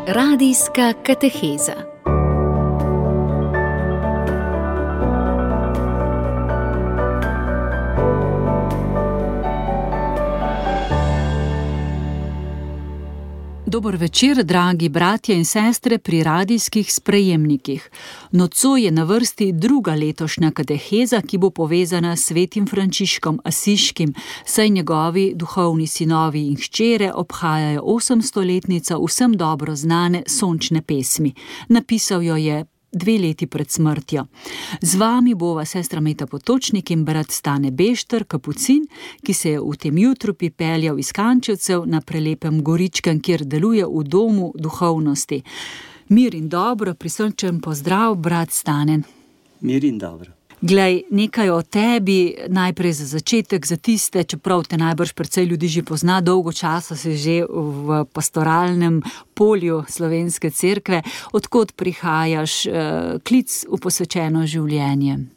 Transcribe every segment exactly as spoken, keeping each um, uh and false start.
Radijska kateheza. Dober večer, dragi bratje in sestre pri radijskih sprejemnikih. Nocoj je na vrsti druga letošnja kateheza, ki bo povezana s svetim Frančiškom Asiškim, saj njegovi duhovni sinovi in hčere obhajajo osemstoletnico vsem dobro znane sončne pesmi. Napisal jo je dve leti pred smrtjo. Z vami bova sestra Meta Potočnik in brat Stane Bešter, kapucin, ki se je v tem jutru pripeljal iz Kančevcev na prelepem Goričkem, kjer deluje v domu duhovnosti. Mir in dobro, prisrčen pozdrav, brat Stane. Mir in dobro. Glej, nekaj o tebi, najprej za začetek, za tiste, čeprav te najbrž precej ljudi že pozna, dolgo časa si že v pastoralnem polju Slovenske cerkve. Odkot prihajaš, eh, klic v posvečeno življenje?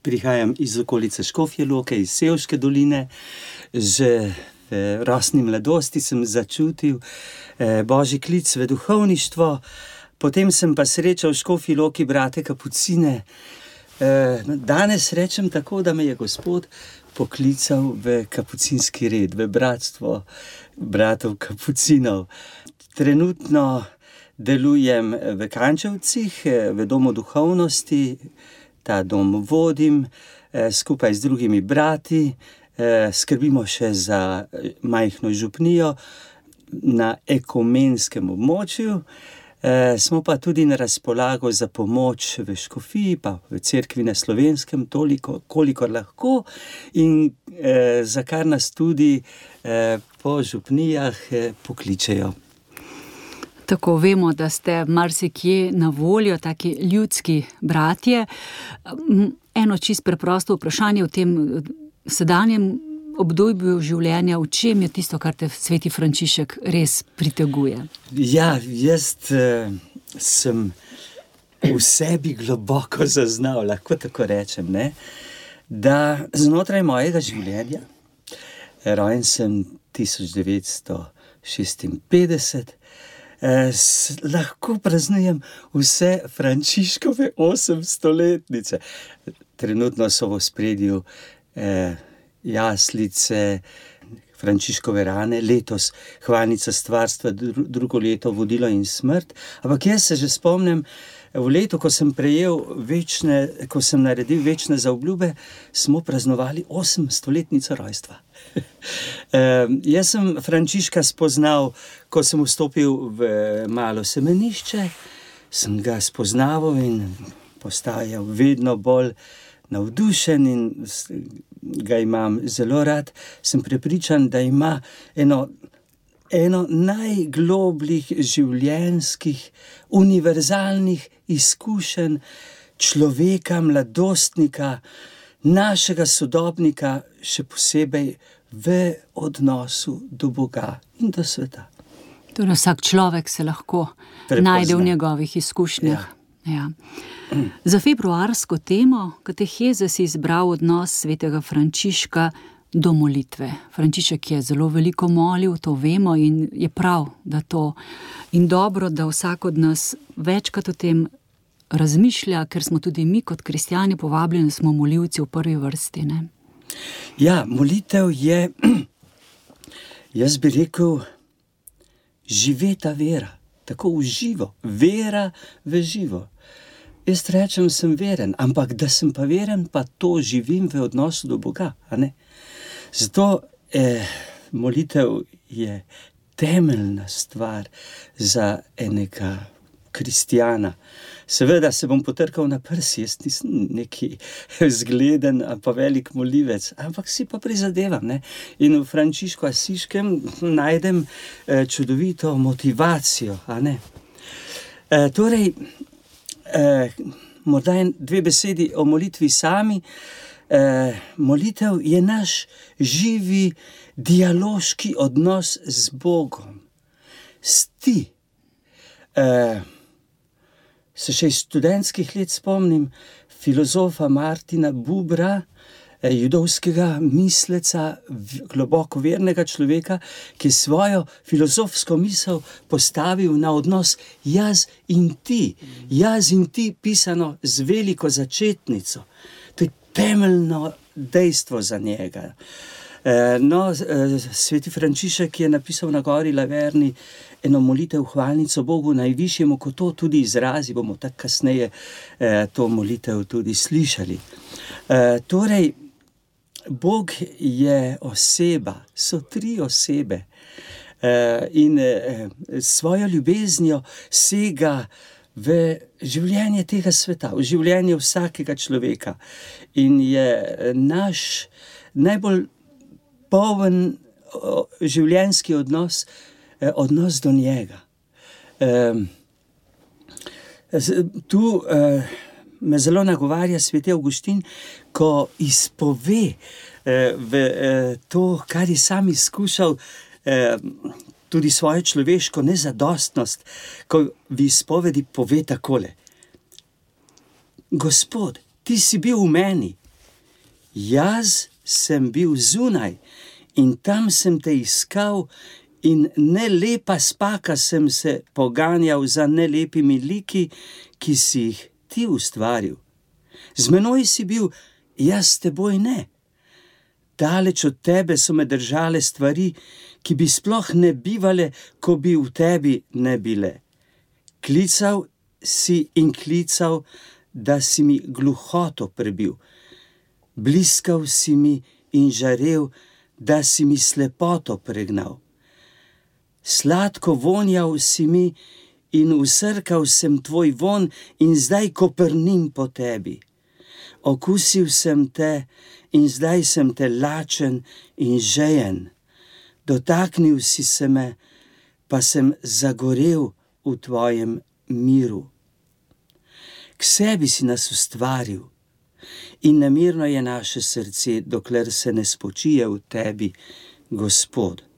Prihajam iz okolice Škofje Loke, iz Sevške doline. Že v rosni mladosti sem začutil eh, božji klic v duhovništvo, potem sem pa srečal v Škofji Loki brate kapucine. Danes rečem tako, da me je Gospod poklical v kapucinski red, v bratstvo bratov kapucinov. Trenutno delujem v Kančevcih, v domu duhovnosti, ta dom vodim skupaj z drugimi brati, skrbimo še za majhno župnijo na ekumenskem območju. E, smo pa tudi na razpolago za pomoč v škofiji, pa v cerkvi na Slovenskem, toliko, kolikor lahko, in e, za kar nas tudi e, po župnijah e, pokličejo. Tako vemo, da ste marsikje na voljo, taki ljudski bratje. Eno čist preprosto vprašanje v tem sedanjem obdobju življenja, v čem je tisto, kar te sveti Frančišek res priteguje? Ja, jaz eh, sem v sebi globoko zaznal, lahko tako rečem, ne? Da znotraj mojega življenja, rojen sem tisoč devetsto šestinpetdeset, eh, s, lahko praznujem vse Frančiškove osemstoletnice. Trenutno so v ospredju eh, jaslice, Frančiškove rane, letos hvalnica stvarstva, drugo leto vodilo in smrt. Ampak jaz se že spomnim, v letu, ko sem prejel večne, ko sem naredil večne zaobljube, smo praznovali osemstoletnico rojstva. e, jaz sem Frančiška spoznal, ko sem vstopil v malo semenišče, sem ga spoznaval in postajal vedno bolj navdušen in ga imam zelo rad. Sem prepričan, da ima eno, eno najglobljih življenjskih, univerzalnih izkušenj človeka, mladostnika, našega sodobnika, še posebej v odnosu do Boga in do sveta. Torej vsak človek se lahko Prepozna. najde v njegovih izkušnjah. Ja. Ja. Za februarsko temo kateheze si izbral odnos svetega Frančiška do molitve. Frančišek je zelo veliko molil, to vemo, in je prav, da to in dobro, da vsak od nas večkrat o tem razmišlja, ker smo tudi mi kot kristjani povabljeni, smo molilci v prvi vrsti, ne? Ja, molitev je, jaz bi rekel, živeta vera, tako v živo, vera v živo. Jaz rečem, sem veren, ampak da sem pa veren, pa to živim v odnosu do Boga, a ne? Zato eh, molitev je temeljna stvar za enega kristjana. Seveda se bom potrkal na prsi, jaz nisem neki zgleden pa velik molivec, ampak si pa prizadevam, ne? In v Frančišku Asiškem najdem eh, čudovito motivacijo, a ne? Eh, torej, Eh, morda dve besedi o molitvi sami. Eh, molitev je naš živi dialoški odnos z Bogom. Sti. Eh, se še iz študentskih let spomnim filozofa Martina Bubra, judovskega misleca, globoko vernega človeka, ki je svojo filozofsko misel postavil na odnos jaz in ti. Jaz in ti pisano z veliko začetnico. To je temeljno dejstvo za njega. No, sveti Frančišek je napisal na gori Laverni eno molitev hvalnico Bogu najvišjemu, ko to tudi izrazi, bomo tako kasneje to molitev tudi slišali. Torej, Bog je oseba, so tri osebe in svojo ljubeznijo sega v življenje tega sveta, v življenje vsakega človeka in je naš najbolj poln življenjski odnos, odnos do njega. Tu me zelo nagovarja sveti Avguštin, ko izpove v to, kar je sam izkušal, tudi svojo človeško nezadostnost, ko v izpovedi pove takole: Gospod, ti si bil v meni, jaz sem bil zunaj in tam sem te iskal in ne lepa spaka sem se poganjal za nelepimi liki, ki si jih ti ustvaril. Z menoj si bil, jaz s teboj ne. Daleč od tebe so me držale stvari, ki bi sploh ne bivale, ko bi v tebi ne bile. Klical si in klical, da si mi gluhoto prebil. Bliskal si mi in žarel, da si mi slepoto pregnal. Sladko vonjal si mi in usrkal sem tvoj von in zdaj koprnim po tebi. Okusil sem te in zdaj sem te lačen in žejen. Dotaknil si se me, pa sem zagorel v tvojem miru. K sebi si nas ustvaril in nemirno je naše srce, dokler se ne spočije v tebi, Gospod.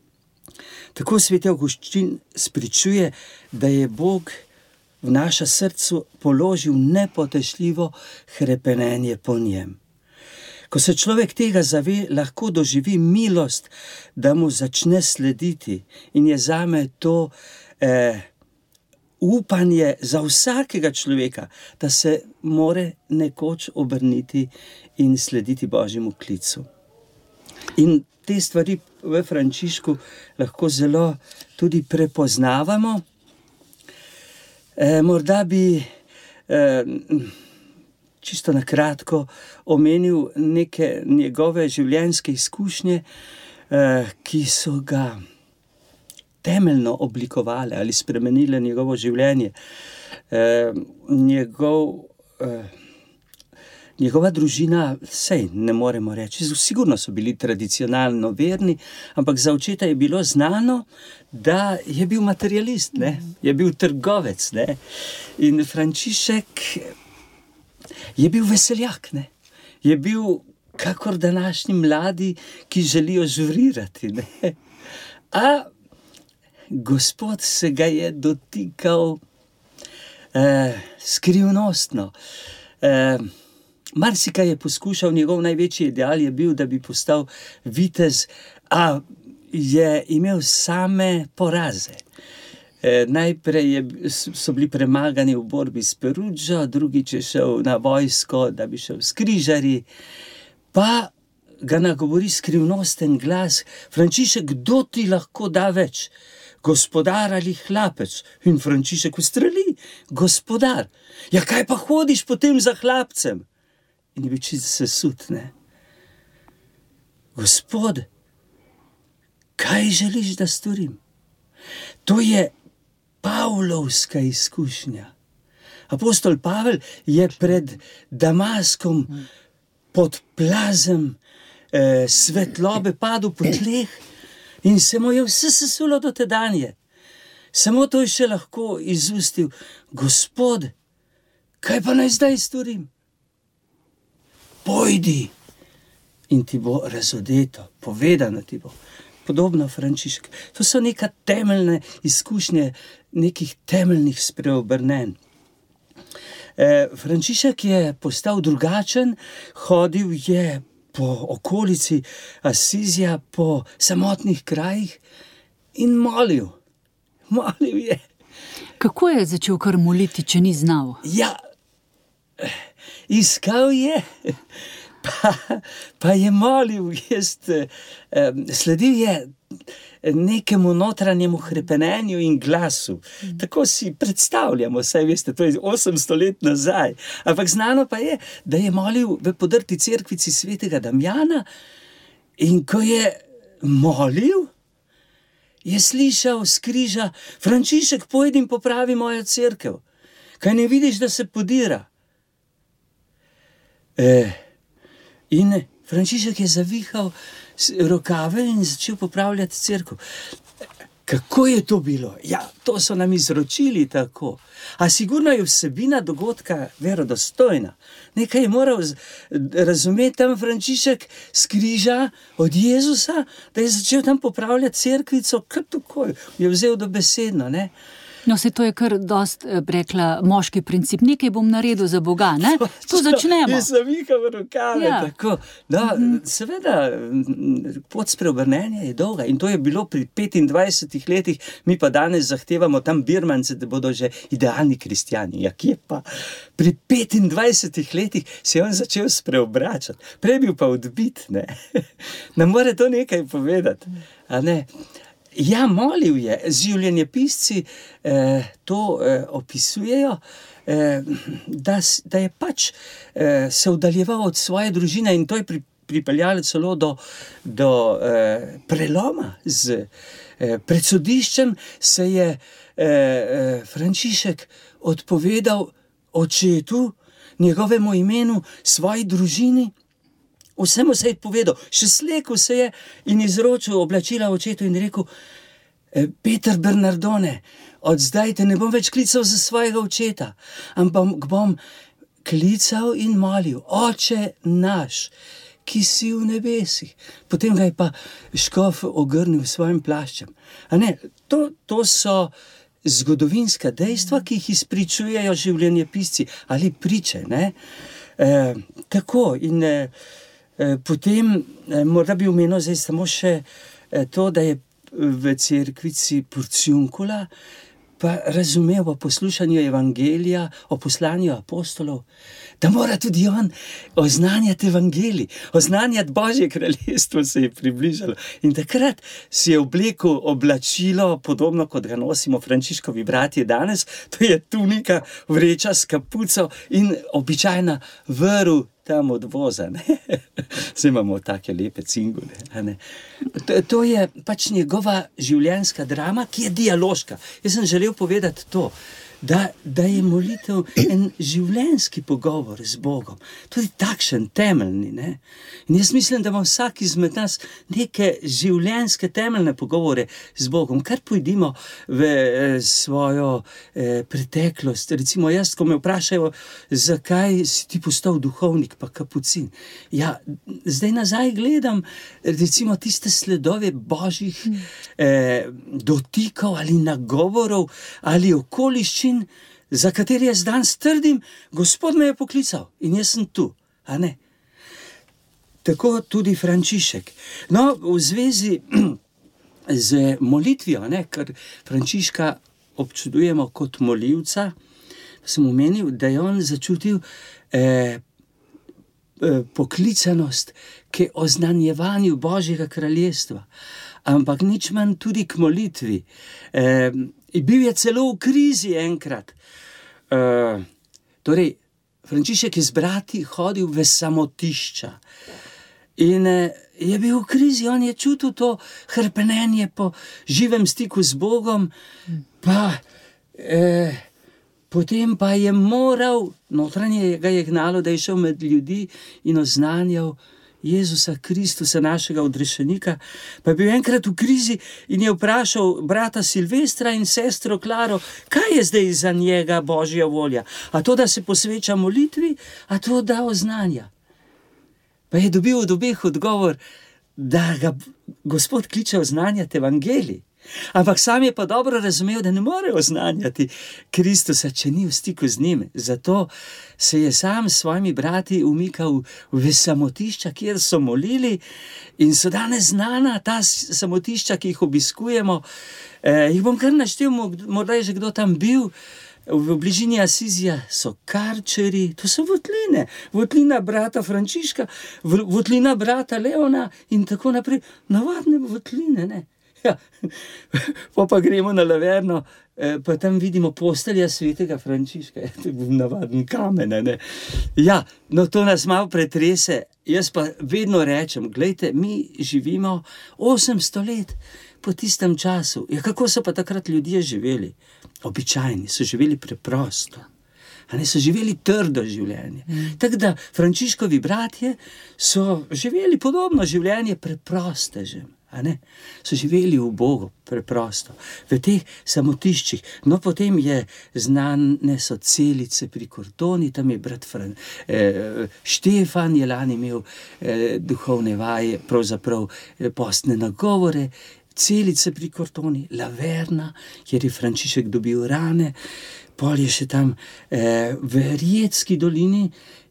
Tako sveti Avguštin spričuje, da je Bog v naša srcu položil nepotešljivo hrepenenje po njem. Ko se človek tega zave, lahko doživi milost, da mu začne slediti in je zame to eh, upanje za vsakega človeka, da se more nekoč obrniti in slediti Božjemu klicu. In te stvari v Frančišku lahko zelo tudi prepoznavamo. E, morda bi e, čisto na kratko omenil neke njegove življenjske izkušnje, e, ki so ga temeljno oblikovale ali spremenile njegovo življenje. E, njegov, e, njegova družina, sej ne moremo reči, sigurno so bili tradicionalno verni, ampak za očeta je bilo znano, da je bil materialist, ne? Je bil trgovec. Ne? In Frančišek je bil veseljak, ne? Je bil kakor današnji mladi, ki želijo žurirati. Ne? A Gospod se ga je dotikal eh, skrivnostno. Eh, Marsikaj je poskušal, njegov največji ideal je bil, da bi postal vitez, a je imel same poraze. E, najprej je, so bili premagani v borbi s Perugio, drugič je šel na vojsko, da bi šel s križarji, pa ga nagovori skrivnosten glas: Frančišek, kdo ti lahko da več? Gospodar ali hlapec? In Frančišek ustreli: gospodar. Ja, kaj pa hodiš potem za hlapcem? In je bil čisto sesut, ne? Gospod, kaj želiš, da storim? To je Pavlovska izkušnja. Apostol Pavel je pred Damaskom pod plazem eh, svetlobe padel po tleh in se mu je vse sesulo do tedanje. Samo to je še lahko izustil: Gospod, kaj pa naj zdaj storim? Pojdi in ti bo razodeto, povedano ti bo. Podobno Frančišek. To so neka temeljne izkušnje, nekih temeljnih spreobrnenj. E, Frančišek je postal drugačen, hodil je po okolici Asizija, po samotnih krajih in molil. Molil je. Kako je začel kar moliti, če ni znal? Ja, iskal je, pa, pa je molil, jaz, eh, sledil je nekemu notranjemu hrepenenju in glasu. Tako si predstavljamo, saj veste, to je osemsto let nazaj. Ampak znano pa je, da je molil v podrti cerkvici svetega Damjana in ko je molil, je slišal s križa: Frančišek, pojdi in popravi mojo cerkev. Kaj ne vidiš, da se podira? E, in Frančišek je zavihal rokave in začel popravljati cerkev. Kako je to bilo? Ja, to so nam izročili tako. A sigurno je vsebina dogodka verodostojna. Nekaj je moral razumeti tam Frančišek s križa od Jezusa, da je začel tam popravljati cerkvico, kar takoj je vzel dobesedno, ne? No, se to je kar dost, rekla, moški princip. Nekaj bom naredil za Boga, ne? Tu začnemo. In zavihal rokave, Ja. tako. No, seveda, pot spreobrnenja je dolga in to je bilo pri petindvajsetih letih, mi pa danes zahtevamo tam Birmance, da bodo že idealni kristjani. Ja, kje pa? Pri petindvajsetih letih se je on začel spreobračati. Prej bil pa odbit, ne? Ne more to nekaj povedati, a ne? Ja, molil je. Življenjepisci eh, to eh, opisujejo, eh, da, da je pač eh, se oddaljeval od svoje družine in to je pri, pripeljalo celo do, do eh, preloma. Z eh, pred sodiščem se je eh, Frančišek odpovedal očetu, njegovemu imenu, svoji družini. Vsemu se je povedal, še slekel se je in izročil oblačila očetu in rekel: Peter Bernardone, od zdaj te ne bom več klical za svojega očeta, ampak bom klical in molil: Oče naš, ki si v nebesih. Potem ga je pa škof ogrnil s svojim plaščem. A ne, to, to so zgodovinska dejstva, ki jih izpričujejo življenjepisci ali priče, ne? E, tako in e, potem, morda bi omenil zdaj samo še to, da je v cerkvici Porciuncula pa razumel o poslušanju evangelija, o poslanju apostolov, da mora tudi on oznanjati evangelij, oznanjati Božje kraljestvo se je približalo. In takrat si je oblekel oblačilo, podobno kot ga nosimo Frančiškovi bratje danes, to je tunika, vreča s kapuco in običajna vrv tam od voza, ne? Zdaj imamo take lepe cingule, a ne? To, to je pač njegova življenjska drama, ki je dialoška. Jaz sem želel povedati to, da, da je molitev en življenjski pogovor z Bogom. Tudi takšen, temeljni, ne? In jaz mislim, da ima vsak izmed nas neke življenjske temeljne pogovore z Bogom. Kar pojdimo v eh, svojo eh, preteklost. Recimo jaz, ko me vprašajo, zakaj si ti postal duhovnik pa kapucin. Ja, zdaj nazaj gledam recimo tiste sledove Božjih eh, dotikov ali nagovorov ali okoliščin, za katere jaz danes trdim, Gospod me je poklical in jaz sem tu, a ne? Tako tudi Frančišek. No, v zvezi z molitvijo, ne, ker Frančiška občudujemo kot molivca, sem omenil, da je on začutil eh, poklicanost k oznanjevanju Božjega kraljestva, ampak nič manj tudi k molitvi. Eh, bil je celo v krizi enkrat. Uh, torej, Frančišek je z brati hodil v samotišča in uh, je bil v krizi, on je čutil to hrpenenje po živem stiku z Bogom, pa uh, potem pa je moral, notranje ga je gnalo, da je šel med ljudi in oznanjal Jezusa Kristusa, našega odrešenika, pa je bil enkrat v krizi in je vprašal brata Silvestra in sestro Klaro, kaj je zdaj za njega Božja volja? A to, da se posveča molitvi, a to, da oznanja? Pa je dobil od obeh odgovor, da ga Gospod kliče oznanjati evangelij. Ampak sam je pa dobro razumel, da ne more oznanjati Kristusa, če ni v stiku z njim. Zato se je sam s svojimi brati umikal v samotišča, kjer so molili in so danes znana ta samotišča, ki jih obiskujemo. Eh, jih bom kar naštel, morda je že kdo tam bil. V bližini Asizija so Karčeri, to so votline, votlina brata Frančiška, votlina brata Leona in tako naprej. Navadne votline, ne? Ja, pa pa gremo na Laverno, pa tam vidimo postelja svetega Frančiška, navaden kamen, ne? Ja, no to nas malo pretrese, jaz pa vedno rečem, glejte, mi živimo osemsto let po tistem času. Ja, kako so pa takrat ljudje živeli? Običajni, so živeli preprosto. A ne, so živeli trdo življenje. Mm. Tako da Frančiškovi bratje so živeli podobno življenje preprostežem. A ne? So živeli v Bogu, preprosto, v teh samotiščih. No, potem je znane so Celice pri Kortoni, tam je brat Fran, eh, Štefan je lani imel eh, duhovne vaje, pravzaprav eh, postne nagovore, Celice pri Kortoni, Laverna, kjer je Frančišek dobil rane, pol je še tam eh, v Rijetski dolini,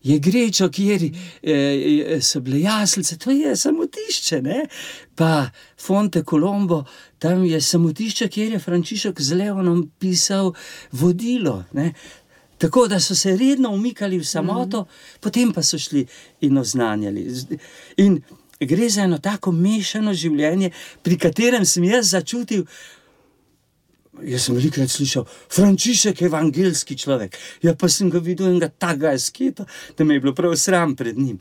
je Grečo, kjer eh, so bile jaslice, to je samotišče, ne? Pa Fonte Colombo, tam je samotišče, kjer je Frančišek z Leonom pisal vodilo, ne? Tako da so se redno umikali v samoto, mm-hmm. potem pa so šli in oznanjali. In gre za eno tako mešano življenje, pri katerem sem jaz začutil, jaz sem velikrat slišal, Frančišek je evangelski človek. Ja, pa sem ga videl enega takega asketa, da me je bilo prav sram pred njim.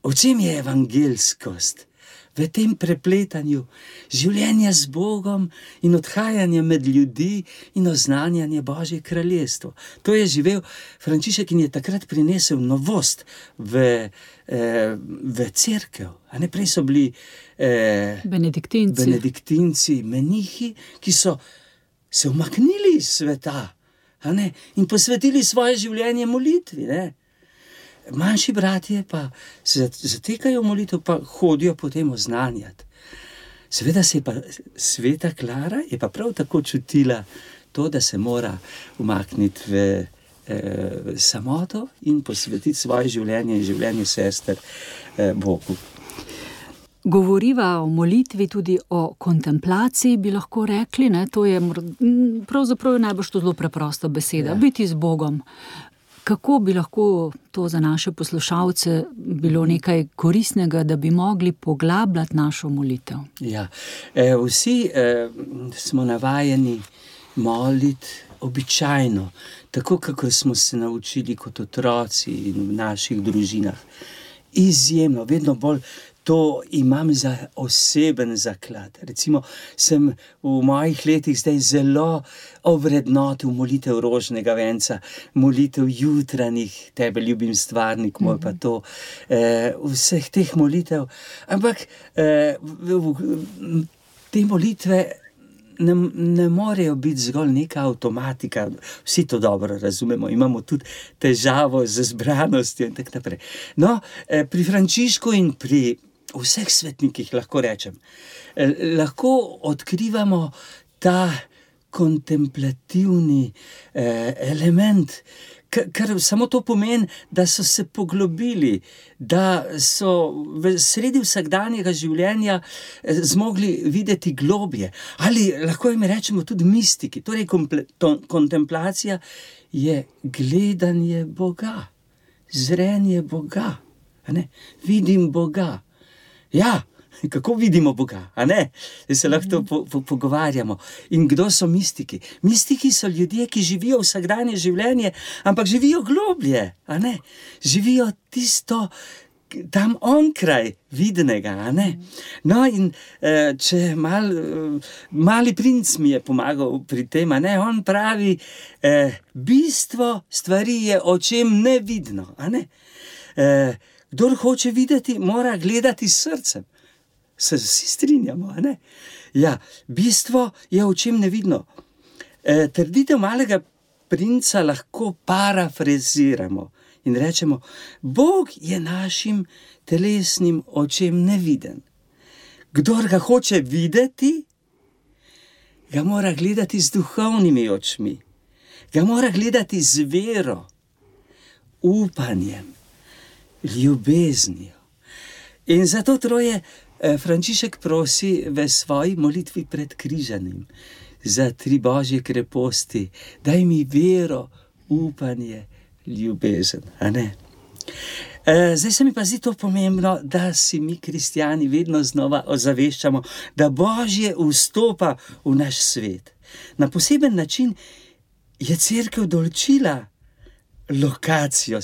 O čem je evangelskost? V tem prepletanju življenja z Bogom in odhajanja med ljudi in oznanjanje Božje kraljestvo. To je živel Frančišek in je takrat prinesel novost v, eh, v cerkev. A ne, prej so bili eh, benediktinci. benediktinci, menihi, ki so se umaknili iz sveta, a ne, in posvetili svoje življenje molitvi, ne. Manjši bratje pa se zatekajo v molitev, pa hodijo potem oznanjati. Seveda se je pa sveta Klara je pa prav tako čutila to, da se mora umakniti v eh, samoto in posvetiti svoje življenje in življenje sester eh, Bogu. Govoriva o molitvi, tudi o kontemplaciji, bi lahko rekli, ne? To je pravzaprav najbolj to zelo preprosta beseda, ja. Biti z Bogom. Kako bi lahko to za naše poslušalce bilo nekaj koristnega, da bi mogli poglabljati našo molitev? Ja, e, vsi e, smo navajeni moliti običajno, tako kako smo se naučili kot otroci in v naših družinah. Izjemno, vedno bolj to imam za oseben zaklad. Recimo, sem v mojih letih zdaj zelo ovrednotil molitev rožnega venca, molitev jutranjih, tebe ljubim stvarnik, moj pa to, eh, vseh teh molitev. Ampak eh, te molitve ne, ne morejo biti zgolj neka avtomatika. Vsi to dobro razumemo, imamo tudi težavo z zbranostjo in tako naprej. No, eh, pri Frančišku in pri vseh svetnikih, lahko rečem, eh, lahko odkrivamo ta kontemplativni eh, element, ker, ker samo to pomeni, da so se poglobili, da so v sredi vsakdanjega življenja eh, zmogli videti globje. Ali lahko jim rečemo tudi mistiki. Torej, komple, to, kontemplacija je gledanje Boga, zrenje Boga, a ne? Vidim Boga. Ja, kako vidimo Boga, a ne? Da se lahko po, po, pogovarjamo. In kdo so mistiki? Mistiki so ljudje, ki živijo vsakdanje življenje, ampak živijo globlje, a ne? Živijo tisto tam onkraj vidnega, a ne? No, in eh, če mal, mali princ mi je pomagal pri tem, a ne? On pravi, eh, bistvo stvari je očem nevidno, a ne? Eh, Kdor hoče videti, mora gledati s srcem. Se vsi strinjamo, a ne? Ja, bistvo je očem nevidno. E, trditev malega princa lahko parafraziramo in rečemo, Bog je našim telesnim očem neviden. Kdor ga hoče videti, ga mora gledati z duhovnimi očmi, ga mora gledati z vero, upanjem, ljubeznijo. In zato troje Frančišek prosi v svoji molitvi pred križanjem za tri božje kreposti: daj mi vero, upanje, ljubezen. A ne? E, zdaj se mi pa zdi to pomembno, da si mi kristjani vedno znova ozaveščamo, da Božje vstopa v naš svet. Na poseben način je cerkev določila lokacijo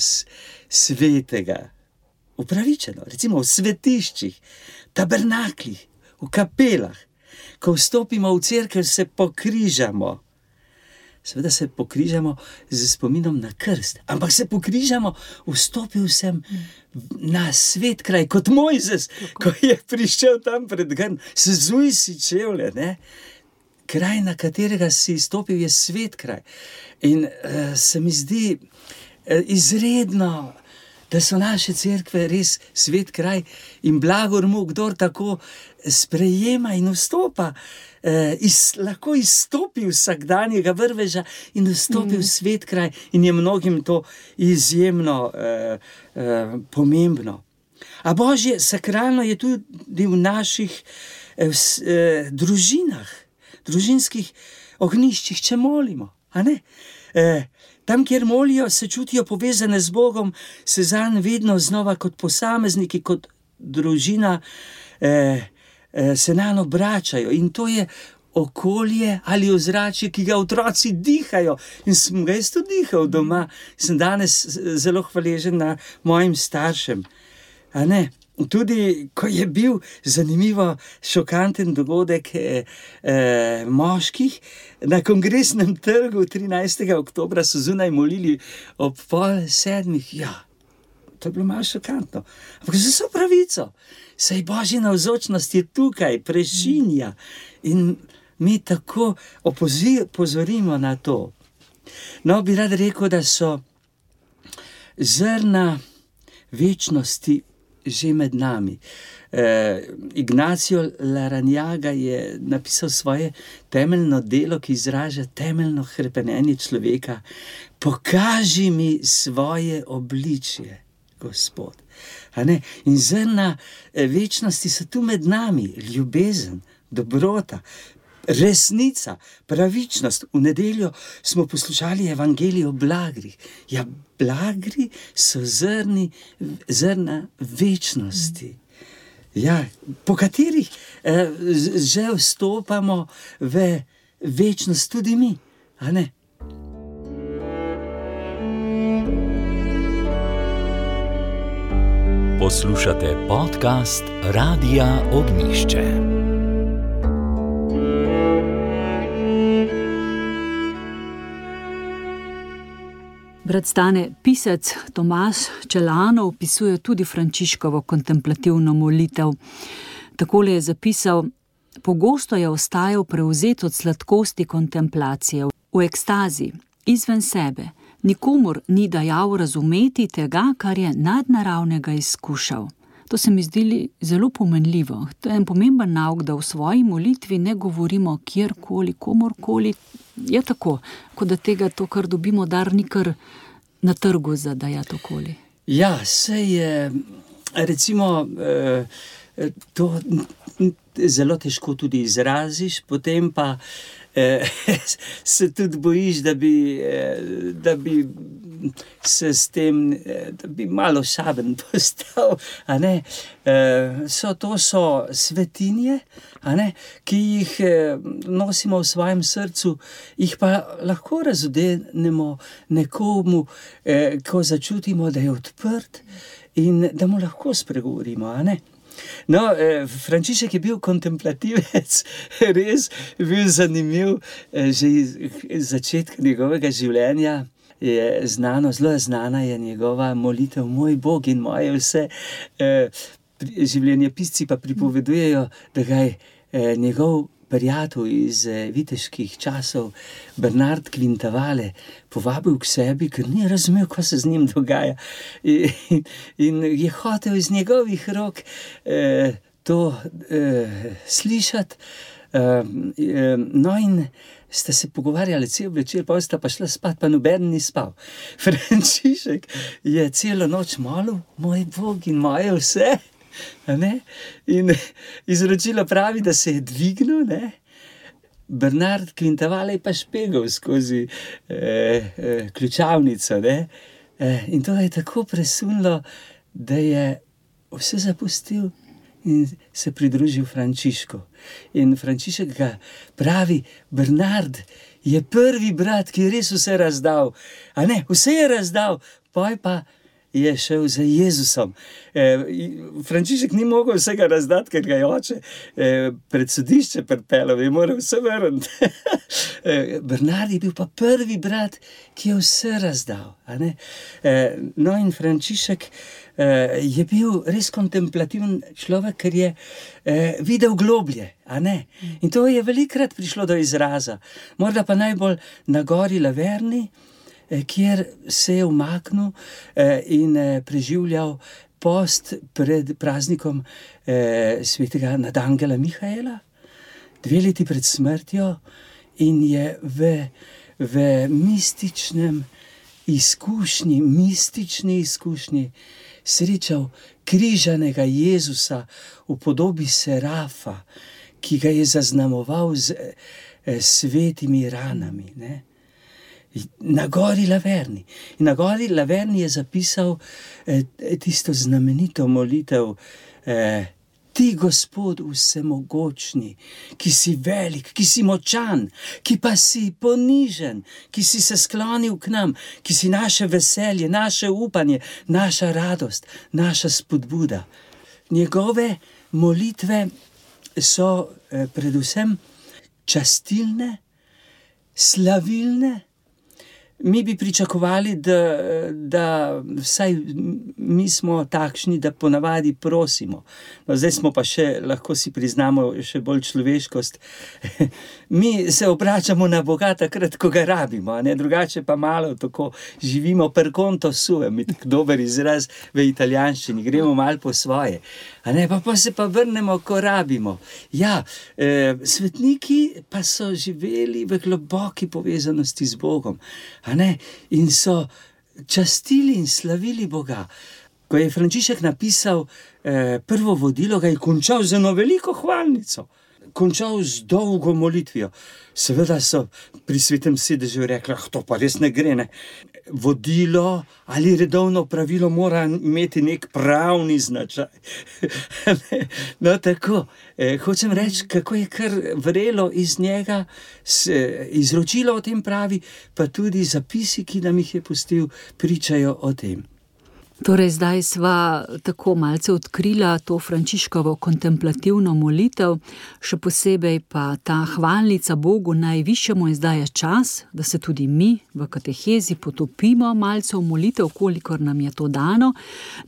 svetega, upravičeno, recimo v svetiščih, tabernaklih, v kapelah. Ko vstopimo v cerkev, se pokrižamo. Seveda se pokrižamo z spominom na krst, ampak se pokrižamo, vstopil sem na svet kraj, kot Mojzes, ko je prišel tam pred grm, sezuj si čevlje, ne? Kraj, na katerega si stopil, je svet kraj. In uh, se mi zdi uh, izredno, da so naše cerkve res svet kraj in blagor mu, kdor tako sprejema in vstopa, eh, iz, lahko izstopi vsakdanjega vrveža in vstopi mm. v svet kraj, in je mnogim to izjemno eh, eh, pomembno. A Božje sakralno je tudi v naših eh, v, eh, družinah, družinskih ognjiščih, če molimo, a ne? Eh, Tam, kjer molijo, se čutijo povezane z Bogom, se zanj vedno znova kot posamezniki, kot družina, eh, eh, se nanj obračajo. In to je okolje ali ozračje, ki ga otroci dihajo. In sem ga jaz tudi dihal doma. Sem danes zelo hvaležen na mojim staršem. A ne? Tudi, ko je bil zanimivo šokanten dogodek eh, eh, moških, na Kongresnem trgu trinajstega oktobra so zunaj molili ob pol sedmih. Ja, to je bilo malo šokantno. Ampak za vso pravico, saj Božja navzočnost je tukaj, prešinja. In mi tako opozorimo na to. No, bi rad rekel, da so zrna večnosti že med nami. Eh, Ignacio Larrañaga je napisal svoje temeljno delo, ki izraža temeljno hrepenenje človeka. Pokaži mi svoje obličje, Gospod. A ne? In zrna večnosti so tu med nami. Ljubezen, dobrota, resnica, pravičnost. V nedeljo smo poslušali evangelij o blagrih. Ja, blagri so zrni, zrna večnosti. Ja, po katerih eh, že vstopamo v večnost tudi mi, a ne? Poslušate podcast Radia Ognjišče. Brat Stane, pisec Tomaž Čelano opisuje tudi Frančiškovo kontemplativno molitev. Takole je zapisal: pogosto je ostajal prevzet od sladkosti kontemplacije, v ekstazi, izven sebe. Nikomur ni dajal razumeti tega, kar je nadnaravnega izkušal. To se mi zdi zelo pomenljivo. To je en pomemben nauk, da v svoji molitvi ne govorimo kjerkoli, komorkoli. Je tako, kot da tega to, kar dobimo, dar ni kar na trgu za dajati okoli. Ja, sej je, recimo, to zelo težko tudi izraziš, potem pa se tudi bojiš, da bi, da bi se s tem, da bi malo šaben postal, a ne. So, to so svetinje, a ne, ki jih nosimo v svojem srcu, jih pa lahko razodenemo nekomu, ko začutimo, da je odprt in da mu lahko spregovorimo, a ne. No, eh, Frančišek je bil kontemplativec, res bil zanimiv, eh, že iz začetka njegovega življenja je znano, zelo znana je njegova molitev: moj Bog in moje vse. Eh, življenjepisci pa pripovedujejo, da ga je eh, njegov prijatelj iz eh, viteških časov, Bernard Quintavale, povabil k sebi, ker ni razumel, kaj se z njim dogaja. In, in je hotel iz njegovih rok eh, to eh, slišati, No in sta se pogovarjali cel večer, pa sta pa šla spat, pa noben ni spal. Frančišek je celo noč molil, moj Bog in moje vse, a ne? In izročilo pravi, da se je dvignil, ne? Bernard Quintavalle je pa špegal skozi eh, eh, ključavnico, ne? Eh, in to je tako presunilo, da je vse zapustil in se pridružil Frančišku. In Frančišek ga pravi, Bernard je prvi brat, ki je res vse razdal. A ne, vse je razdal, poj pa je šel za Jezusom. E, Frančišek ni mogel vsega razdati, ker ga je oče e, pred sodišče pripeljal, je moral vse vrniti. e, Bernard je bil pa prvi brat, ki je vse razdal. A ne? E, no in Frančišek e, je bil res kontemplativen človek, ker je e, videl globlje. A ne? In to je velikrat prišlo do izraza. Morda pa najbolj na gori Laverni, kjer se je umaknil in preživljal post pred praznikom svetega nadangela Mihaela, dve leti pred smrtjo, in je v, v mističnem izkušnji, mistični izkušnji srečal križanega Jezusa v podobi serafa, ki ga je zaznamoval z svetimi ranami, ne? Na gori Laverni. In na gori Laverni je zapisal eh, tisto znamenito molitev eh, Ti, Gospod vsemogočni, ki si velik, ki si močan, ki pa si ponižen, ki si se sklonil k nam, ki si naše veselje, naše upanje, naša radost, naša spodbuda. Njegove molitve so eh, predvsem častilne, slavilne. Mi bi pričakovali, da, da vsaj mi smo takšni, da ponavadi prosimo. No, zdaj smo pa še, lahko si priznamo, še bolj človeškost. Mi se obračamo na Boga takrat, ko ga rabimo, ne? Drugače pa malo tako živimo per conto suo, mi tak dober izraz v italijanščini, gremo malo po svoje. A ne, pa, pa se pa vrnemo, ko rabimo. Ja, eh, svetniki pa so živeli v globoki povezanosti z Bogom. A ne? In so častili in slavili Boga. Ko je Frančišek napisal eh, prvo vodilo, ga je končal z eno veliko hvalnico. Končal z dolgo molitvijo. Seveda so pri svetem sedežu rekli, ah, to pa res ne gre, ne. Vodilo ali redovno pravilo mora imeti nek pravni značaj. No, tako. E, hočem reči, kako je kar vrelo iz njega, se, izročilo o tem pravi, pa tudi zapisi, ki nam jih je pustil, pričajo o tem. Torej, zdaj sva tako malce odkrila to Frančiškovo kontemplativno molitev, še posebej pa ta hvalnica Bogu najvišjemu, in zdaj je čas, da se tudi mi v katehezi potopimo malce v molitev, kolikor nam je to dano.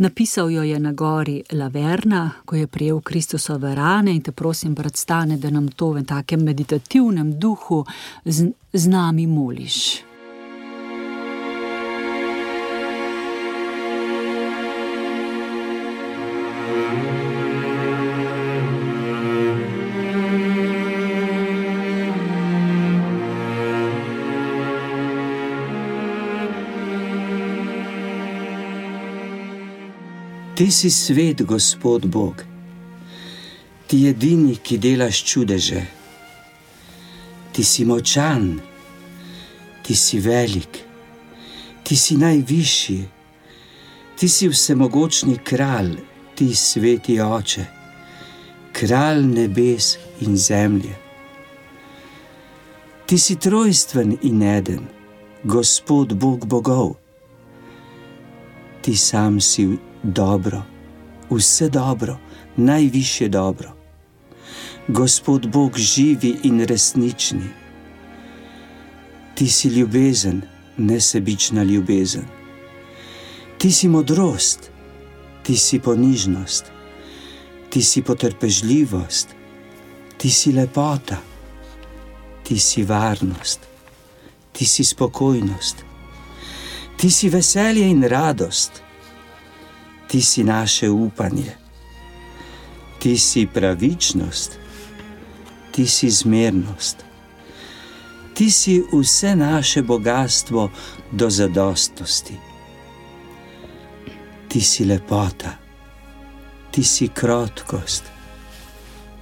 Napisal jo je na gori Laverna, ko je prijel Kristusove rane, in te prosim, brat Stane, da nam to v takem meditativnem duhu z, z nami moliš. Ti si svet, Gospod Bog, ti edini, ki delaš čudeže. Ti si močan, ti si velik, ti si najvišji, ti si vsemogočni kralj, ti sveti oče, kralj nebes in zemlje. Ti si trojstven in eden, Gospod Bog bogov. Ti sam si dobro, vse dobro, najvišje dobro. Gospod Bog živi in resnični. Ti si ljubezen, nesebična ljubezen. Ti si modrost, ti si ponižnost, ti si potrpežljivost, ti si lepota, ti si varnost, ti si spokojnost, ti si veselje in radost, ti si naše upanje, ti si pravičnost, ti si zmernost. Ti si vse naše bogatstvo do zadostnosti. Ti si lepota, ti si krotkost,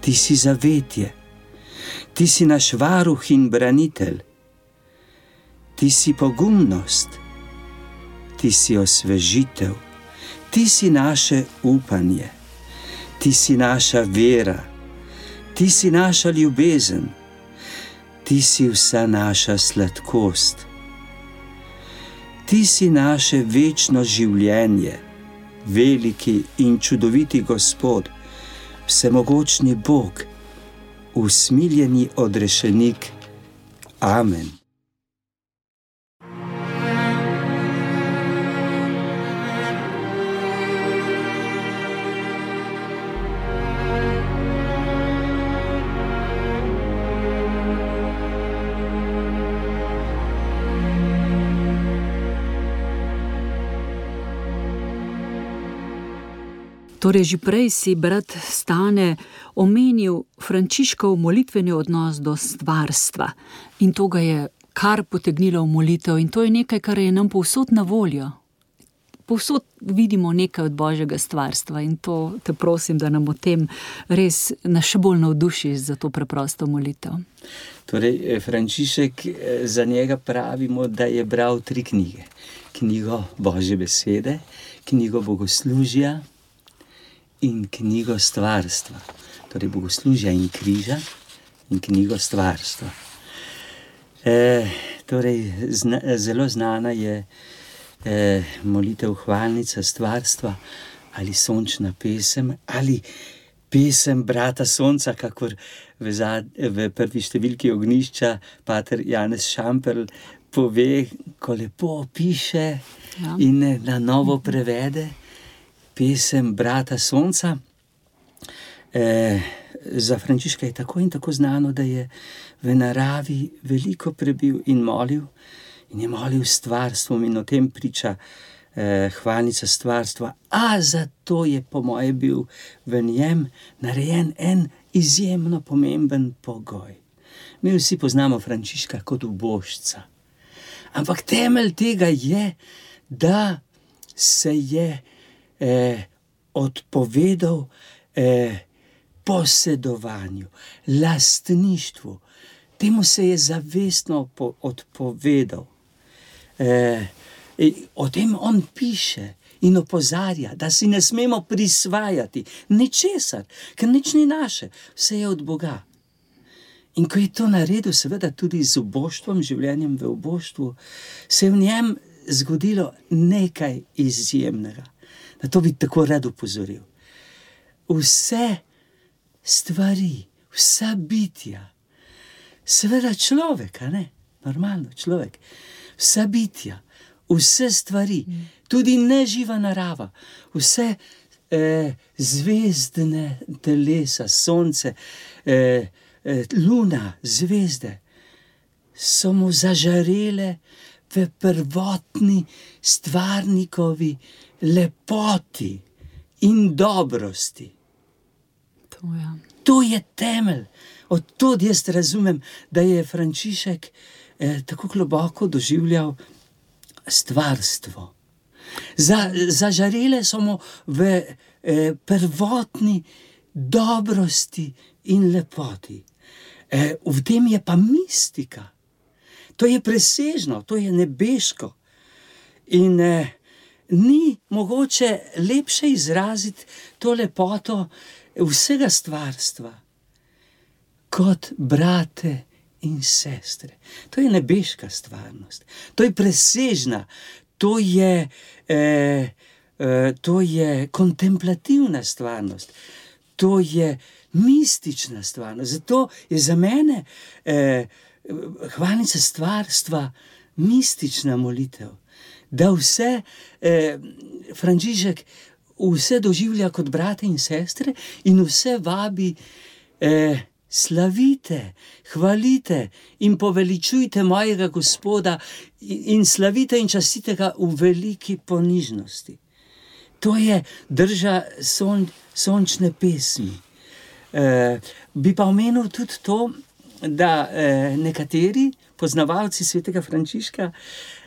ti si zavetje, ti si naš varuh in branitelj, ti si pogumnost, ti si osvežitev, ti si naše upanje, ti si naša vera, ti si naša ljubezen, ti si vsa naša sladkost, ti si naše večno življenje, veliki in čudoviti Gospod, vsemogočni Bog, usmiljeni odrešenik. Amen. Torej, že prej si brat Stane omenil Frančiškov molitveni odnos do stvarstva in to ga je kar potegnilo v molitev in to je nekaj, kar je nam povsod na voljo. Povsod vidimo nekaj od Božjega stvarstva in to te prosim, da nam o tem res nas še bolj navdušiš za to preprosto molitev. Torej, Frančišek, za njega pravimo, da je bral tri knjige. Knjigo Božje besede, knjigo bogoslužja in knjigo stvarstva. Torej, bogoslužja in križa in knjigo stvarstva. E, torej, zna, zelo znana je e, molitev hvalnica stvarstva ali sončna pesem ali pesem brata sonca, kakor v, zad, v prvi številki Ognjišča pater Janez Šamperl pove, ko lepo piše ja. in na novo prevede pesem brata sonca. E, za Frančiška je tako in tako znano, da je v naravi veliko prebil in molil in je molil stvarstvom in o tem priča e, hvalnica stvarstva. A zato je po moje bil v njem narejen en izjemno pomemben pogoj. Mi vsi poznamo Frančiška kot ubožca, ampak temelj tega je, da se je Eh, odpovedal eh, posedovanju, lastništvu. Temu se je zavestno po, odpovedal. Eh, o tem on piše in opozarja, da si ne smemo prisvajati ničesar, ker nič ni naše, vse je od Boga. In ko je to naredil, seveda tudi z uboštvom, življenjem v uboštvu, se je v njem zgodilo nekaj izjemnega. Na to bi tako rad upozoril. Vse stvari, vsa bitja, seveda človek, a ne? Normalno, človek. Vsa bitja, vse stvari, tudi neživa narava, vse eh, zvezdne telesa, sonce, eh, eh, luna, zvezde, so mu zažarele v prvotni stvarnikovi lepoti in dobrosti. To, ja. To je temelj. Odtod jaz razumem, da je Frančišek eh, tako globoko doživljal stvarstvo. Za, zažarele so mu v eh, prvotni dobrosti in lepoti. Eh, v tem je pa mistika. To je presežno, to je nebeško. In eh, ni mogoče lepše izraziti to lepoto vsega stvarstva kot brate in sestre. To je nebeška stvarnost, to je presežna, to je, eh, eh, to je kontemplativna stvarnost, to je mistična stvarnost. Zato je za mene eh, hvalnica stvarstva mistična molitev. Da vse eh, Frančišek vse doživlja kot brate in sestre in vse vabi eh, slavite, hvalite in poveličujte mojega Gospoda in slavite in častite ga v veliki ponižnosti. To je drža son, sončne pesmi. Eh, bi pa omenil tudi to, da eh, nekateri poznavalci svetega Frančiška,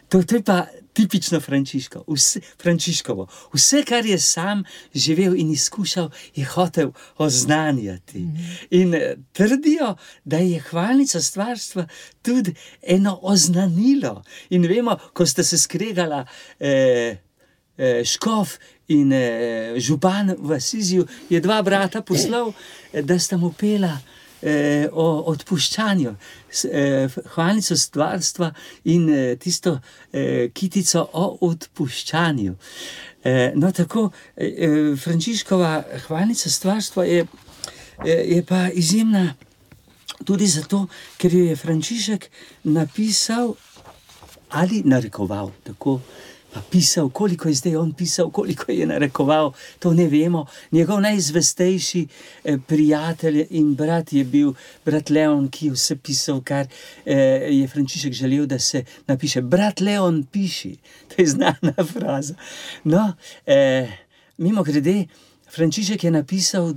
to, to je pa tipično Frančiško, vse, Frančiškovo. Vse, kar je sam živel in izkušal, je hotel oznanjati. Mm-hmm. In trdijo, da je hvalnica stvarstva tudi eno oznanilo. In vemo, ko sta se skregala eh, eh, škof in eh, župan v Asiziju, je dva brata poslal, eh, da sta mu pela Eh, o odpuščanju, eh, hvalnico stvarstva in eh, tisto eh, kitico o odpuščanju. Eh, no, tako eh, Frančiškova hvalnica stvarstva je, eh, je pa izjemna tudi zato, ker jo je Frančišek napisal ali narekoval, tako pa pisal, koliko je zdaj on pisal, koliko je narekoval, to ne vemo. Njegov najzvestejši eh, prijatelj in brat je bil brat Leon, ki je vse pisal, kar eh, je Frančišek želel, da se napiše. Brat Leon, piši. To je znana fraza. No, eh, mimo grede, Frančišek je napisal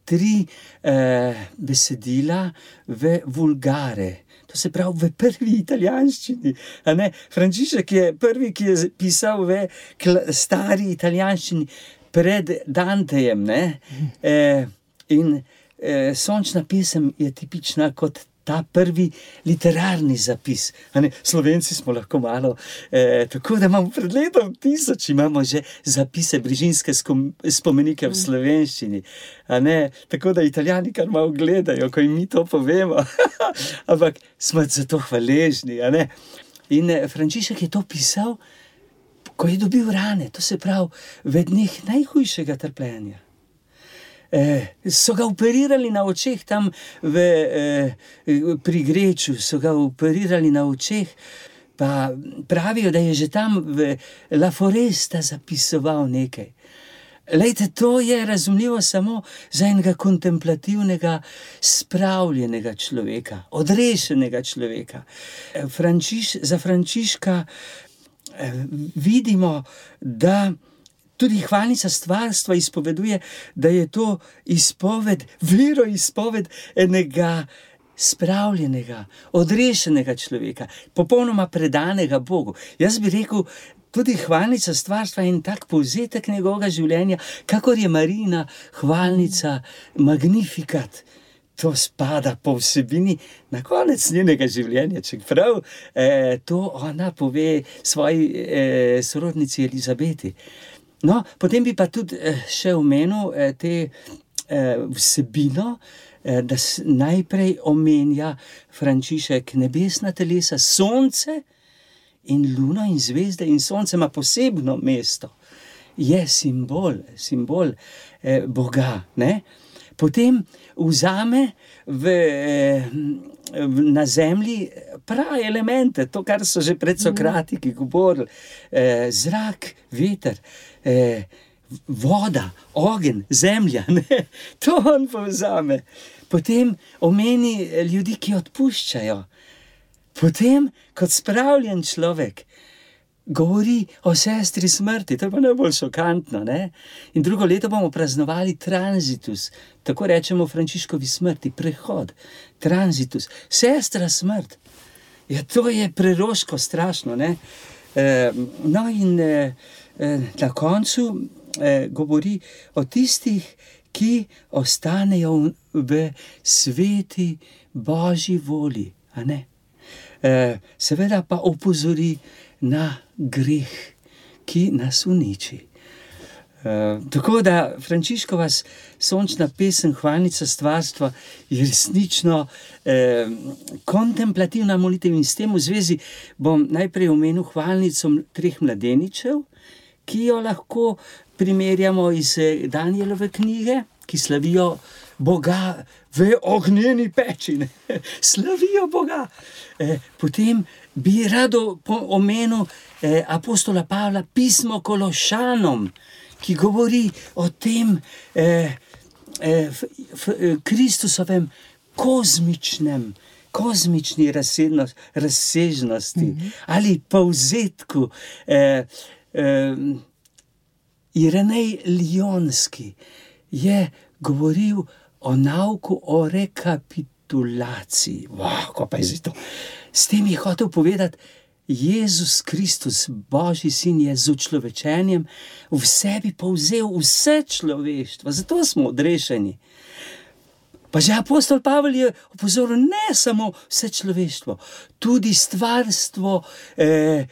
tri eh, besedila v vulgare. To se pravi v prvi italijanščini. Frančišek je prvi, ki je pisal v stari italijanščini pred Dantejem. Ne? E, in e, Sončna pesem je tipična kot ta prvi literarni zapis. Slovenci smo lahko malo, e, tako da imamo pred letom tisoč, imamo že zapise, brižinske spomenike v slovenščini. Tako da Italijani kar malo gledajo, ko jim mi to povemo. Ampak smo za to hvaležni. In Frančišek je to pisal, ko je dobil rane, to se pravi v dneh najhujšega trpljenja. Eh, so ga operirali na očeh tam v, eh, pri Greču, so ga operirali na očeh, pa pravijo, da je že tam v La Foresta zapisoval nekaj. Lejte, to je razumljivo samo za enega kontemplativnega, spravljenega človeka, odrešenega človeka. Frančiš, za Frančiška eh, vidimo, da tudi hvalnica stvarstva izpoveduje, da je to izpoved, veroizpoved enega spravljenega, odrešenega človeka, popolnoma predanega Bogu. Jaz bi rekel, tudi hvalnica stvarstva je en tak povzetek njegovega življenja, kakor je Marijina hvalnica Magnificat. To spada po vsebini na konec njenega življenja, čeprav eh, to ona pove svoji eh, sorodnici Elizabeti. No, potem bi pa tudi eh, še omenil eh, te eh, vsebino, eh, da s, najprej omenja Frančišek nebesna telesa, sonce in luno in zvezde, in sonce ima posebno mesto. Je simbol, simbol eh, Boga, ne? Potem vzame v, v, na zemlji prave elemente, to, kar so že pred Sokratiki govorili, eh, zrak, veter, eh, voda, ogenj, zemlja, ne? To on povzame. Potem omeni ljudi, ki odpuščajo. Potem, kot spravljen človek, govori o sestri smrti, to je pa najbolj šokantno, ne? In drugo leto bomo praznovali transitus, tako rečemo Frančiškovi smrti, prehod, transitus, sestra smrt. Ja, to je preroško, strašno, ne? E, no in e, na koncu e, govori o tistih, ki ostanejo v sveti Božji voli, a ne? E, seveda pa opozori na greh, ki nas uniči. Uh, tako da Frančiškova sončna pesem, hvalnica stvarstva, je resnično eh, kontemplativna molitev, in s tem v zvezi bom najprej omenil hvalnico treh mladeničev, ki jo lahko primerjamo iz Danielove knjige, ki slavijo Boga v ognjeni peči, ne? Slavijo Boga. Eh, potem bi rado omenil eh, apostola Pavla pismo Kološanom, ki govori o tem eh, eh, f, f, Kristusovem kozmičnem, kozmični razsežnost, razsežnosti mm-hmm. ali povzetku. Eh, eh, Irenej Lionski je govoril o nauku o rekapitulaciji. Wow, ko pa je zdaj to? S tem je hotel povedati, Jezus Kristus, Božji sin, je z učlovečenjem v sebi povzel vse človeštvo, zato smo odrešeni. Pa že apostol Pavel je opozoril, ne samo vse človeštvo, tudi stvarstvo, eh,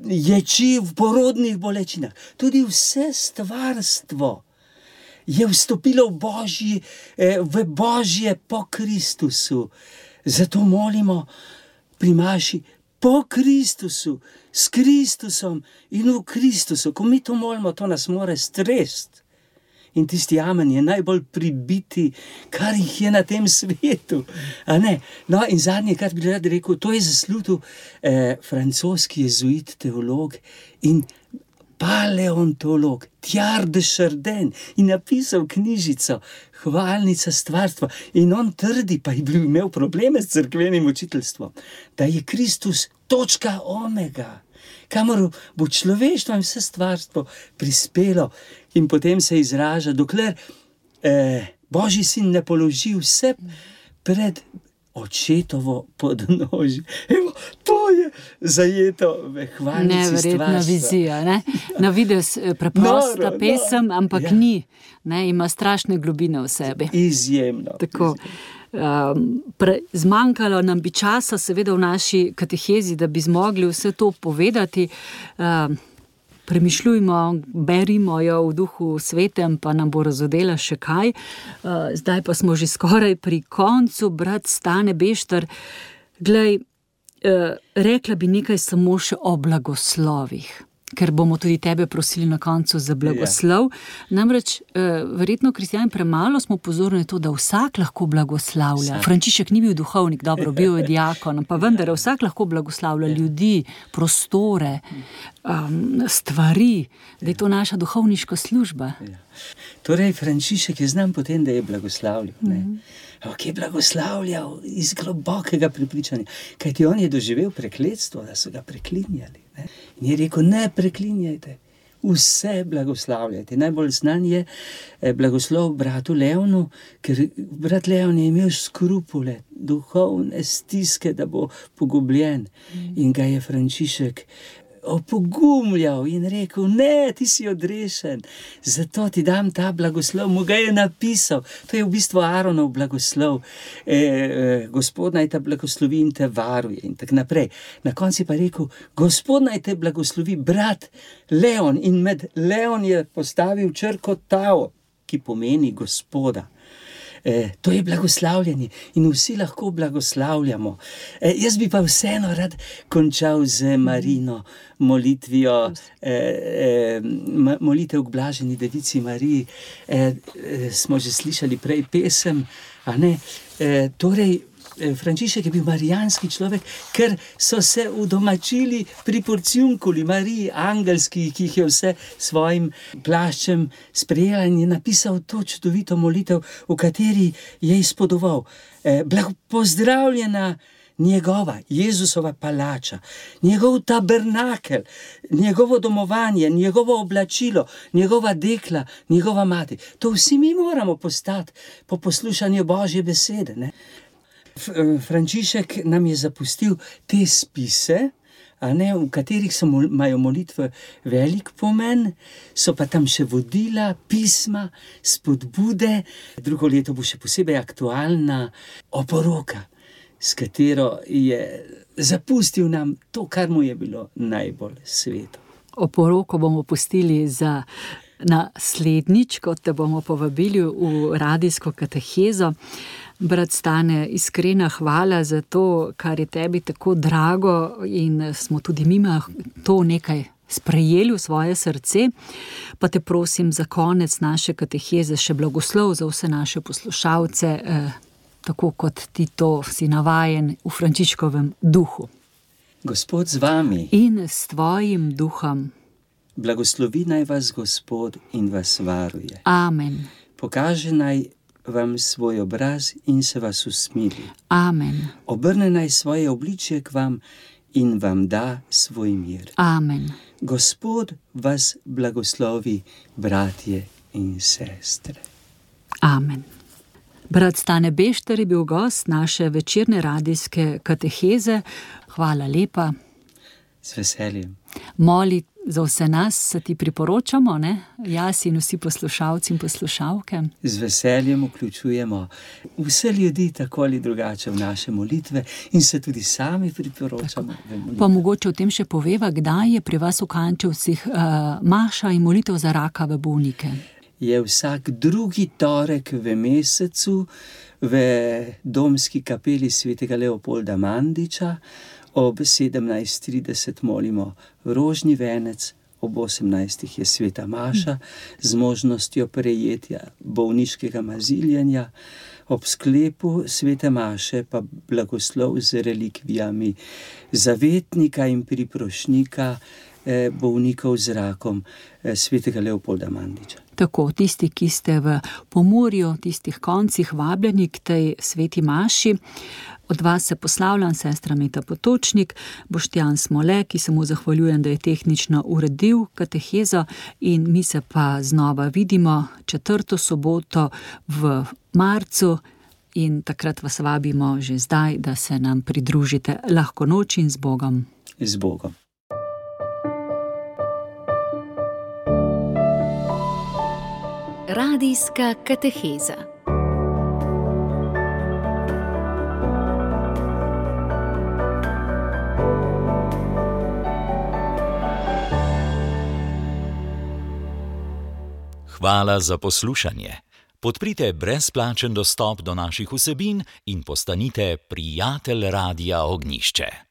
ječi v porodnih bolečinah, tudi vse stvarstvo je vstopilo v Božji, eh, v Božje po Kristusu. Zato molimo pri maši po Kristusu, s Kristusom in v Kristusu. Ko mi to molimo, to nas more stresti. In tisti amen je najbolj pribiti, kar jih je na tem svetu. A ne? No, in zadnje, kar bi rad rekel, to je zaslutil eh, francoski jezuit, teolog in paleontolog Teilhard de Chardin in napisal knjižico Hvalnica stvarstva. In on trdi, pa je bil imel probleme s cerkvenim učiteljstvom, da je Kristus točka omega, kamor bo človeštvo in vse stvarstvo prispelo, in potem se izraža, dokler eh, Božji sin ne položi vse pred očetovo podnožje. Evo, to je zajeto v hvalnici stvarstva. Neverjetna vizija, ne? Na videz preprosta noro, pesem, ampak ja. Ni. Ne? Ima strašne globine v sebi. Izjemno. Tako. Um, pre, zmanjkalo nam bi časa, seveda v naši katehezi, da bi zmogli vse to povedati. Um, Premišljujmo, berimo jo v duhu svetem, pa nam bo razodela še kaj. Uh, zdaj pa smo že skoraj pri koncu, brat Stane Bešter. Glej, uh, rekla bi nekaj samo še o blagoslovih, ker bomo tudi tebe prosili na koncu za blagoslov. Yeah. Namreč, uh, verjetno kristjani premalo smo pozorni to, da vsak lahko blagoslavlja. Vsak. Frančišek ni bil duhovnik, dobro, bil je diakon, pa vendar vsak lahko blagoslavlja yeah. ljudi, prostore, um, stvari, da je to naša duhovniška služba. Yeah. Torej, Frančišek je znam potem, da je blagoslavljal. Ne? Mm-hmm. Ampak je blagoslavljal iz globokega prepričanja, kajti on je doživel prekletstvo, da so ga preklinjali. Ne? In je rekel, ne preklinjajte, vse blagoslavljajte. Najbolj znan je blagoslov bratu Leonu, ker brat Leon je imel skrupule, duhovne stiske, da bo pogubljen. Mm. In ga je Frančišek opogumljal in rekel, ne, ti si odrešen, zato ti dam ta blagoslov. Mu ga je napisal, to je v bistvu Aaronov blagoslov, e, e, Gospod naj te blagoslovi in te varuje in tak naprej. Na konci pa rekel, Gospod naj te blagoslovi brat Leon, in med Leon je postavil črko tao, ki pomeni Gospoda. E, to je blagoslavljanje in vsi lahko blagoslavljamo. E, jaz bi pa vseeno rad končal z Marino molitvijo, e, e, molitev k blaženi devici Mariji. E, e, smo že slišali prej pesem, a ne? E, torej, Frančišek je bil marijanski človek, ker so se udomačili pri porciunkuli Mariji, angelski, ki jih je vse svojim plaščem sprejela, in je napisal to čudovito molitev, v kateri je izpodoval, eh, pozdravljena njegova, Jezusova palača, njegov tabernakel, njegovo domovanje, njegovo oblačilo, njegova dekla, njegova mati. To vsi mi moramo postati po poslušanju Božje besede, ne? Frančišek nam je zapustil te spise, a ne, v katerih so imajo molitve velik pomen, so pa tam še vodila, pisma, spodbude. Drugo leto bo še posebej aktualna oporoka, s katero je zapustil nam to, kar mu je bilo najbolj sveto. Oporoko bomo pustili za naslednjič, kot te bomo povabili v radijsko katehezo. Brat Stane, iskrena hvala za to, kar je tebi tako drago, in smo tudi mima to nekaj sprejeli v svoje srce. Pa te prosim za konec naše kateheze še blagoslov za vse naše poslušalce, eh, tako kot ti to si navajen v Frančiškovem duhu. Gospod z vami. In s tvojim duhom. Blagoslovi naj vas Gospod in vas varuje. Amen. Pokaže naj vam svoj obraz in se vas usmili. Amen. Obrne naj svoje obličje k vam in vam da svoj mir. Amen. Gospod vas blagoslovi, bratje in sestre. Amen. Brat Stane Bešter je bil gost naše večerne radijske kateheze. Hvala lepa. Z veseljem. Moli za vse nas, se ti priporočamo, ne? Jaz in vsi poslušalci in poslušalke. Z veseljem vključujemo vse ljudi tako ali drugače v naše molitve in se tudi sami priporočamo. Pa mogoče o tem še poveva, kdaj je pri vas v Kančevcih uh, maša in molitev za rakave bolnike? Je vsak drugi torek v mesecu v domski kapeli svetega Leopolda Mandiča. Ob sedemnajst trideset molimo rožni venec, ob osemnajstih je sveta maša z možnostjo prejetja bolniškega maziljenja, ob sklepu svete maše pa blagoslov z relikvijami zavetnika in priprošnika eh, bolnikov z rakom eh, svetega Leopolda Mandiča. Tako, tisti, ki ste v Pomurju, tistih koncih vabljeni k tej sveti maši, od vas se poslavljam, sestra Meta Potočnik, Boštjan Smole, ki se mu zahvaljujem, da je tehnično uredil katehezo, in mi se pa znova vidimo četrto soboto v marcu in takrat vas vabimo že zdaj, da se nam pridružite. Lahko noč in z Bogom. Z Bogom. Radijska kateheza. Hvala za poslušanje. Podprite brezplačen dostop do naših vsebin in postanite prijatelj Radia Ognjišče.